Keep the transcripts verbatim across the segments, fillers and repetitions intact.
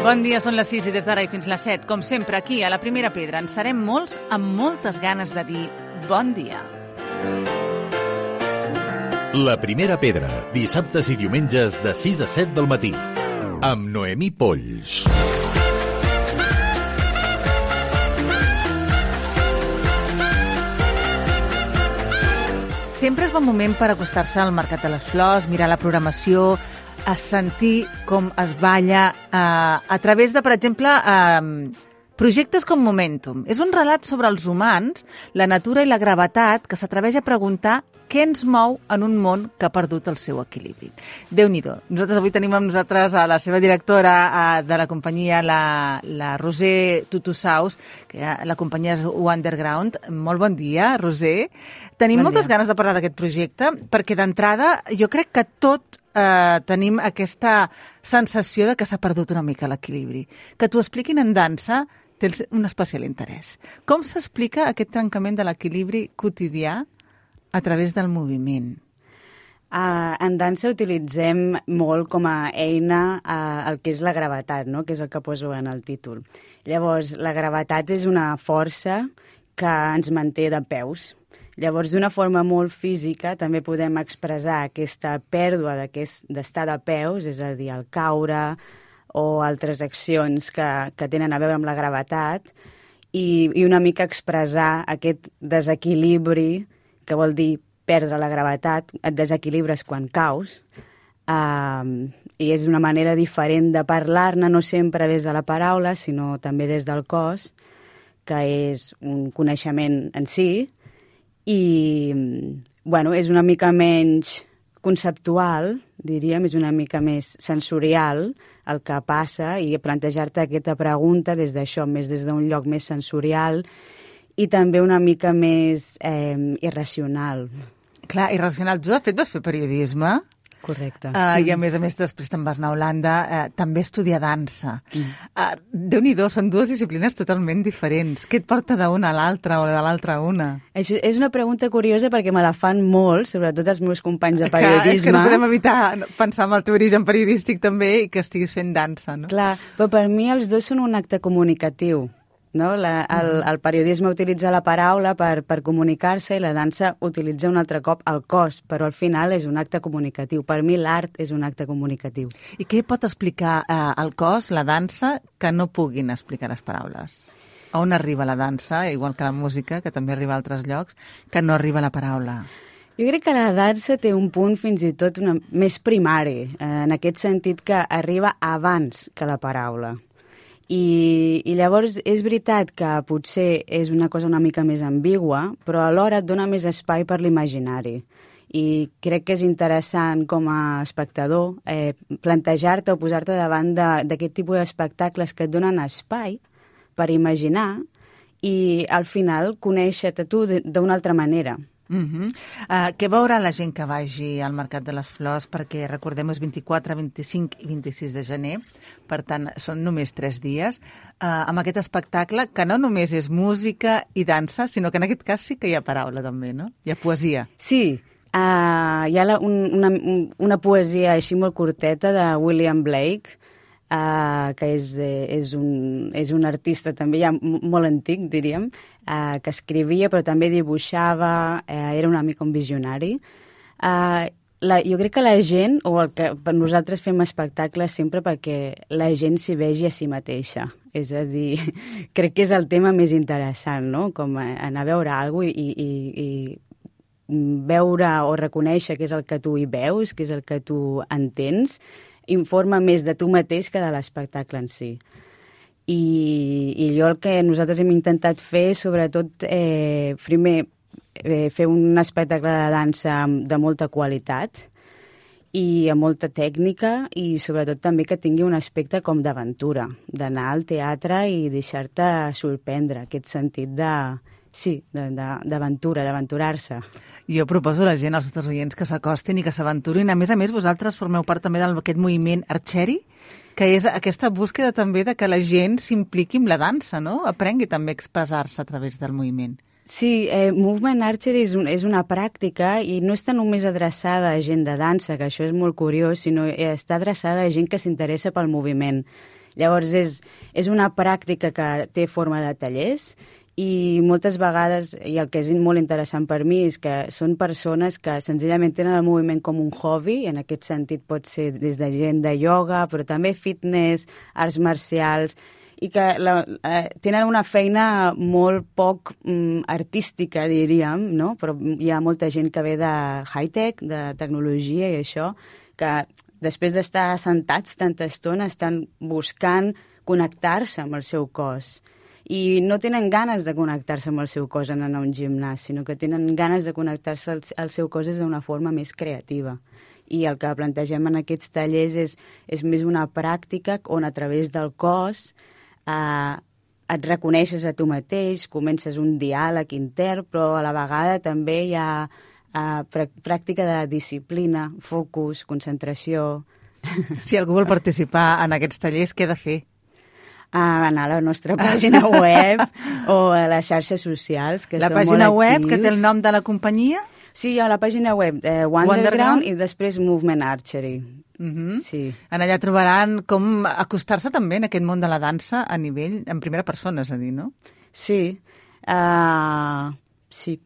Bon dia, són les sis i des d'ara i fins les set. Com sempre, aquí, a la Primera Pedra, en serem molts amb moltes ganes de dir bon dia. La Primera Pedra, dissabtes i diumenges de sis a set del matí, amb Noemí Polls. Sempre és bon moment per acostar-se al Mercat de les Flors, mirar la programació, a sentir com es balla eh, a través de, per exemple, eh, projectes com Momentum. És un relat sobre els humans, la natura i la gravetat que s'atreveix a preguntar què ens mou en un món que ha perdut el seu equilibri. Déu-n'hi-do. Nosaltres avui tenim amb nosaltres a la seva directora eh, de la companyia, la, la Roser Tutusaus, que la companyia és Underground. Molt bon dia, Roser. Tenim bon moltes dia. Ganes de parlar d'aquest projecte, perquè d'entrada jo crec que tot eh, tenim aquesta sensació de que s'ha perdut una mica l'equilibri. Que t'ho expliquin en dansa té un especial interès. Com s'explica aquest trencament de l'equilibri quotidià a través del moviment? Uh, en dansa utilitzem molt com a eina uh, el que és la gravetat, no? Que és el que poso en el títol. Llavors, la gravetat és una força que ens manté de peus. Llavors, d'una forma molt física, també podem expressar aquesta pèrdua d'estar de peus, és a dir, el caure o altres accions que, que tenen a veure amb la gravetat, i, i una mica expressar aquest desequilibri, que vol dir perdre la gravetat, et desequilibres quan caus, uh, i és una manera diferent de parlar-ne, no sempre des de la paraula, sinó també des del cos, que és un coneixement en si, i bueno, és una mica menys conceptual, diríem, és una mica més sensorial el que passa, i plantejar-te aquesta pregunta des d'això, més des d'un lloc més sensorial i també una mica més eh, irracional. Clar, irracional. Tu, de fet, vas fer periodisme. Correcte. Uh, I, a més a més, després te'n vas anar a Holanda, uh, també estudiar dansa. Mm. Uh, Déu-n'hi-do, són dues disciplines totalment diferents. Què et porta d'una a l'altra o de l'altra a una? Això és una pregunta curiosa perquè me la fan molt, sobretot els meus companys de periodisme. Clar, és que no podem evitar pensar en el teu origen periodístic també i que estiguis fent dansa, no? Clar, però per mi els dos són un acte comunicatiu. No? La, el, el periodisme utilitza la paraula per, per comunicar-se i la dansa utilitza un altre cop el cos, però al final és un acte comunicatiu. Per mi l'art és un acte comunicatiu. I què pot explicar eh, el cos, la dansa, que no puguin explicar les paraules? A on arriba la dansa, igual que la música, que també arriba a altres llocs, que no arriba la paraula? Jo crec que la dansa té un punt fins i tot una, més primari, eh, en aquest sentit que arriba abans que la paraula. I, i llavors és veritat que potser és una cosa una mica més ambigua, però alhora et dona més espai per l'imaginari. I crec que és interessant com a espectador eh, plantejar-te o posar-te davant d'aquest tipus d'espectacles que et donen espai per imaginar i al final conèixer-te tu d'una altra manera. Uh-huh. Uh, què veurà la gent que vagi al Mercat de les Flors? Perquè, recordem, és vint-i-quatre, vint-i-cinc i vint-i-sis de gener, per tant, són només tres dies, uh, amb aquest espectacle que no només és música i dansa, sinó que en aquest cas sí que hi ha paraula també, no? Hi ha poesia. Sí, uh, hi ha la, un, una, una poesia així molt curteta de William Blake, Uh, que és, eh, és, un, és un artista també ja molt antic, diríem, uh, que escrivia però també dibuixava, uh, era una mica un visionari. Uh, la, jo crec que la gent, o el que per nosaltres fem espectacles sempre perquè la gent s'hi vegi a si mateixa. És a dir, crec que és el tema més interessant, no? Com anar a veure alguna cosa i, i, i veure o reconèixer què és el que tu hi veus, què és el que tu entens, informa més de tu mateix que de l'espectacle en si. I, i jo el que nosaltres hem intentat fer, sobretot, eh, primer, eh, fer un espectacle de dansa de molta qualitat i amb molta tècnica i sobretot també que tingui un aspecte com d'aventura, d'anar al teatre i deixar-te sorprendre, aquest sentit de, sí, d'aventura, d'aventurar-se. Jo proposo a la gent, als nostres oients, que s'acostin i que s'aventurin. A més a més, vosaltres formeu part també d'aquest moviment Archery, que és aquesta búsqueda també de que la gent s'impliqui amb la dansa, no? Aprengui també a expressar-se a través del moviment. Sí, eh, Movement Archery és, un, és una pràctica i no està només adreçada a gent de dansa, que això és molt curiós, sinó està adreçada a gent que s'interessa pel moviment. Llavors, és, és una pràctica que té forma de tallers i moltes vegades, i el que és molt interessant per mi, és que són persones que senzillament tenen el moviment com un hobby, en aquest sentit pot ser des de gent de ioga, però també fitness, arts marcials, i que la, eh, tenen una feina molt poc mm, artística, diríem, no? Però hi ha molta gent que ve de high-tech, de tecnologia i això, que després d'estar assentats tanta estona estan buscant connectar-se amb el seu cos. I no tenen ganes de connectar-se amb el seu cos en anar a un gimnàs, sinó que tenen ganes de connectar-se al, al seu cos d'una forma més creativa. I el que plantegem en aquests tallers és, és més una pràctica on a través del cos eh, et reconeixes a tu mateix, comences un diàleg intern, però a la vegada també hi ha eh, pràctica de disciplina, focus, concentració. Si algú vol participar en aquests tallers, què ha de fer? A anar a la nostra pàgina web o a les xarxes socials, que la són molt pàgina web, actius. Que té el nom de la companyia? Sí, a la pàgina web eh, Wonderground, Wonderground i després Movement Archery. Uh-huh. Sí. En allà trobaran com acostar-se també en aquest món de la dansa a nivell, en primera persona, és a dir, no? Sí. Uh, sí.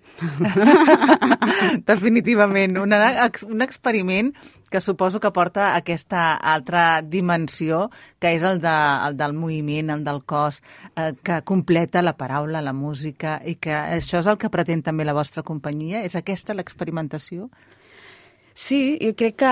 Definitivament. Una, un experiment que suposo que porta aquesta altra dimensió, que és el, de, el del moviment, el del cos, eh, que completa la paraula, la música, i que això és el que pretén també la vostra companyia? És aquesta l'experimentació? Sí, jo crec que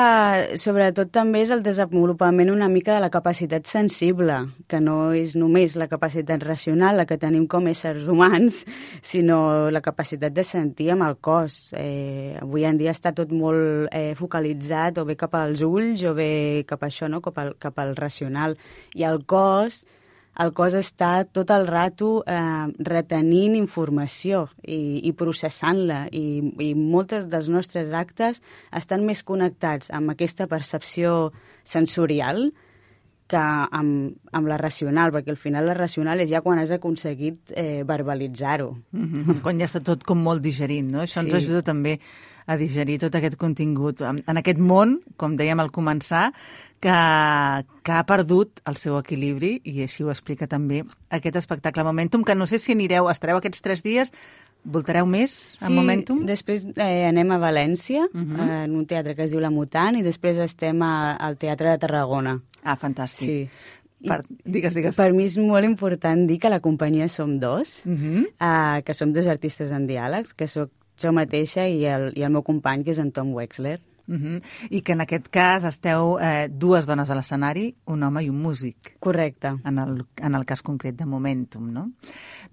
sobretot també és el desenvolupament una mica de la capacitat sensible, que no és només la capacitat racional, la que tenim com éssers humans, sinó la capacitat de sentir amb el cos. Eh, avui en dia està tot molt eh, focalitzat o bé cap als ulls o bé cap a això, no? cap, al, cap al racional. I el cos... El cos està tot el rato eh, retenint informació i, i processant-la, i, i moltes dels nostres actes estan més connectats amb aquesta percepció sensorial que amb, amb la racional, perquè al final la racional és ja quan has aconseguit eh, verbalitzar-ho. Mm-hmm. Quan ja està tot com molt digerint, no? Això sí. Ens ajuda també a digerir tot aquest contingut en, en aquest món, com dèiem al començar, que, que ha perdut el seu equilibri, i així ho explica també aquest espectacle Momentum, que no sé si anireu, estareu aquests tres dies, voltareu més a sí, Momentum? Sí, després eh, anem a València, uh-huh. eh, en un teatre que es diu La Mutant, i després estem a, al Teatre de Tarragona. Ah, fantàstic. Sí. Per, digues, digues. Per mi és molt important dir que la companyia som dos, uh-huh. eh, que som dos artistes en diàlegs, que soc jo mateixa i el, i el meu company, que és en Tom Wexler. Uh-huh. I que en aquest cas esteu eh, dues dones a l'escenari, un home i un músic. Correcte. En el, en el cas concret de Momentum, no?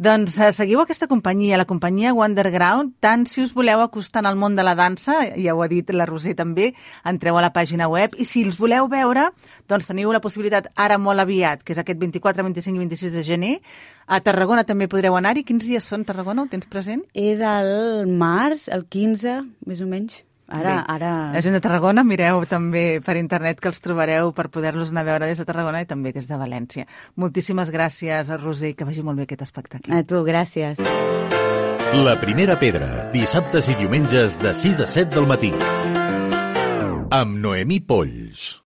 Doncs eh, seguiu aquesta companyia, la companyia Wonderground, tant si us voleu acostar al món de la dansa, ja ho ha dit la Roser també, entreu a la pàgina web, i si els voleu veure, doncs teniu la possibilitat ara molt aviat, que és aquest vint-i-quatre, vint-i-cinc i vint-i-sis de gener. A Tarragona també podreu anar-hi. Quins dies són, Tarragona? Ho tens present? És el març, el quinze, més o menys. Ara, ara... La gent de Tarragona, mireu també per internet que els trobareu per poder-los anar a veure des de Tarragona i també des de València. Moltíssimes gràcies, Roser, i que vagi molt bé aquest espectacle. A tu, gràcies. La Primera Pedra, dissabtes i diumenges de sis a set del matí. Amb Noemí Polls.